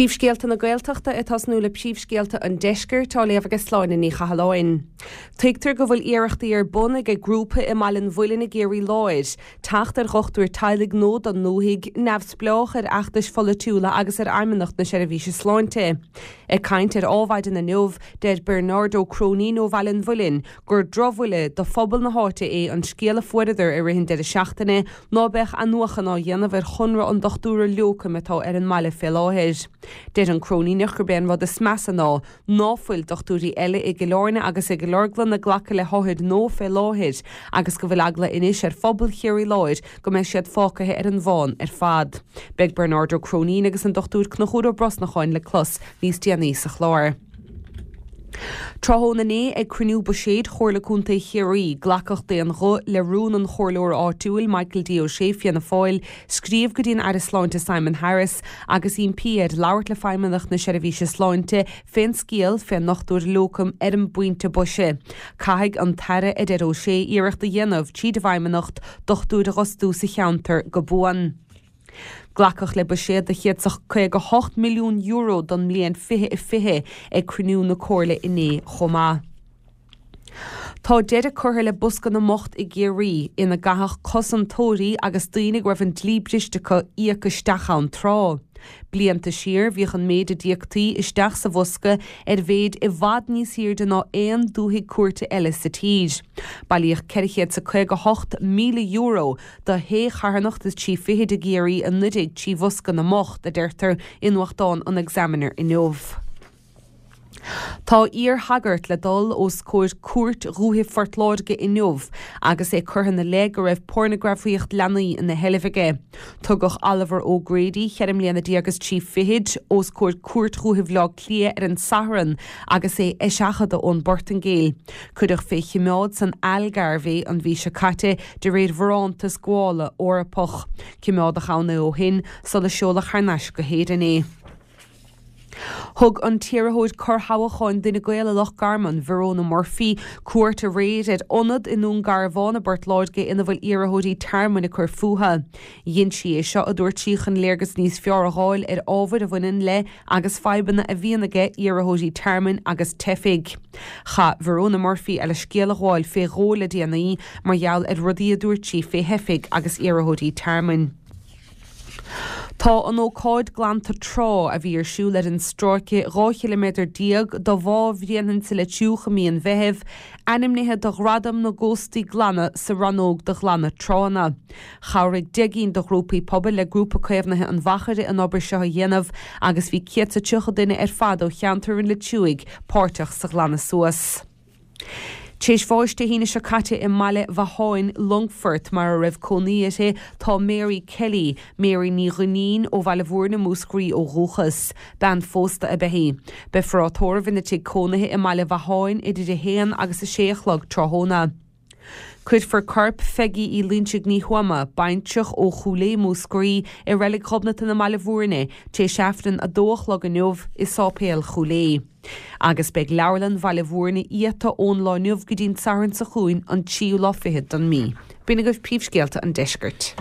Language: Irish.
Príomhscéalta na Gaeltachta ag tosnú le príomhscéalta an Deiscirt á léamh ag Sláine Ní Chathalláin. Tuigtear go bhfuil iarrachtaí ar bun ag grúpa i mBaile an Mhuilinn i gCiarraí Láir teacht ar dhochtúir teaghlaigh nua don ndúthaigh, neamhspleách ar fheachtais pholaitiúla agus ar Fheidhmeannacht na Seirbhíse Sláinte. Ag caint ar Ádhmhaidin inniu, deir Bernard Ó Cróinín ó Bhaile an Mhuilinn gur drochbhuille do phobal na háite é an scéal a fuaireadar i rith an deireadh seachtaine ná beadh athnuachan á dhéanamh ar chonradh an dochtúra lócaim atá ar an mbaile fé láthair. Deir an Cróiníneach gurb é an rud is measa ná ná fuil dochtúirí eile i gCill Airne agus i gCill Orglan ag glacadh le hothair nua fé láthair agus go bhfuil eagla anois ar phobal Chiarraí Láir go mbeidh siad fágtha ar an bhfán ar fad. Beidh Bernard Ó Cróinín agus an Dr Conchúr Ó Brosnacháin le clos níos déanaí sa chlár. Tráthnóna inné ag cruinniú buiséid Chomhairle Contae Chiarraí, glacadh d'aon ghuth le rún an chomhairleora áitiúil Michael D. O'Shea, Fianna Fáil, scríobh go dtí an Aire Sláinte Simon Harris agus impí air labhairt le Feidhmeannacht na Seirbhíse Sláinte fén scéal fén ndochtúir lócaim ar an bpointe boise. Caithfidh an tAire, a deir O'Shea, iarracht a dhéanamh, tríd an bhFeidhmeannacht, dochtúir a dh'fhostú sa cheantar go buan. Glacadh le buiséad de €158 milliún don mbliain 2020 ag cruinniú na Comhairle inné chomh maith. Tá deireadh curtha le Bosca na mBocht i gCiarraí, ina gcaithfeadh cosantóirí agus daoine go raibh an dlí briste acu íoc isteach ann tráth. Blianta siar, bhíodh an méid a d'íoctaí isteach sa bhosca ar mhéid i bhfad níos airde ná aon dúthaigh cúirte eile sa tír. Bailíodh €458,000 do shé charthanacht is trí fichid i gCiarraí anuraidh trí Bhosca na mBocht, a deirtear i nuachtán an Examiner inniu. Tá iar-shagart le dul os comhair Cúirt Dhúiche Phort Láirge inniu agus é curtha ina leith go raibh pornagrafaíocht leanaí ina sheilbh aige. Tugadh Oliver O'Grady, cheithre mbliana déag is trí fichid, os comhair Cúirt Dhúiche Bhaile Átha Cliath ar an Satharn agus é á eiseachadadh ón bPortaingéil. Cuireadh fé chimeád san Algarve é an mhí seo caite de réir bharántas gabhála Eorpach. Cimeádadh ann é ó shin sula seoladh thar n-ais go hÉirinn é. Thug an t-iarrthóir corrthoghcháin d'Fhine Gael i Loch Garman, Verona Murphy, cuairt aréir ar ionad i nDún Garbhán i bPort Láirge ina bhfuil iarrthóirí tearmainn ag cur fúthu. Dhein sí é seo, a dúirt sí, chun léargas níos fearr a dh'fháil ar ábhair a bhaineann le agus fadhbanna a bhíonn aige iarrthóirí tearmainn agus teifigh. Chaith Verona Murphy a leithscéal a ghabháil fé dhó le déanaí mar gheall ar rudaí a dúirt sí fé theifigh agus iarrthóirí tearmainn. Tá an ócáid glanta trá a bhí ar siúl ar an stráice 12 chiliméadar de Bhá Bhréanainn sa Leitriúch i mí an Mheithimh ainmnithe do Ghradam na gCóstaí Glana sa rannóg do ghlanadh tránna. Chabhraigh 10 gcinn de ghrúpaí pobail le Grúpa Caomhnaithe an Mhachaire an obair seo a dhéanamh agus bhí 130 duine ar fad ó cheantar an Leitriúigh páirteach sa ghlanadh suas. Tar éis bháis Dé hAoine seo caite i mBaile Mhatháin, Longfort, mar a raibh cónaí uirthi, tá Mary Kelly, Mary Ní Dhuinnín, ó Bhaile Mhúirne, Múscraí ó dhúchas. Bean phósta ab ea í. Beifear á tórramh ina tigh cónaithe i mBaile Mhatháin idir 1 agus 6 a chlog tráthnóna. Cuirfear corp Pheigí Uí Loinsigh Ní Thuama, baintreach ó Chúil Aodha, Múscraí, i Reilig Ghobnatan i mBaile Mhúirne, tar éis Aifreann 2 a chlog inniu i Sáipéal Chúil Aodha. Agus beidh Leabharlann Bhaile Mhúirne iata ón lá inniu go dtí'n Satharn seo chugainn an tríú lá fichead don mí. B'in agaibh príomhscéalta an deiscirt.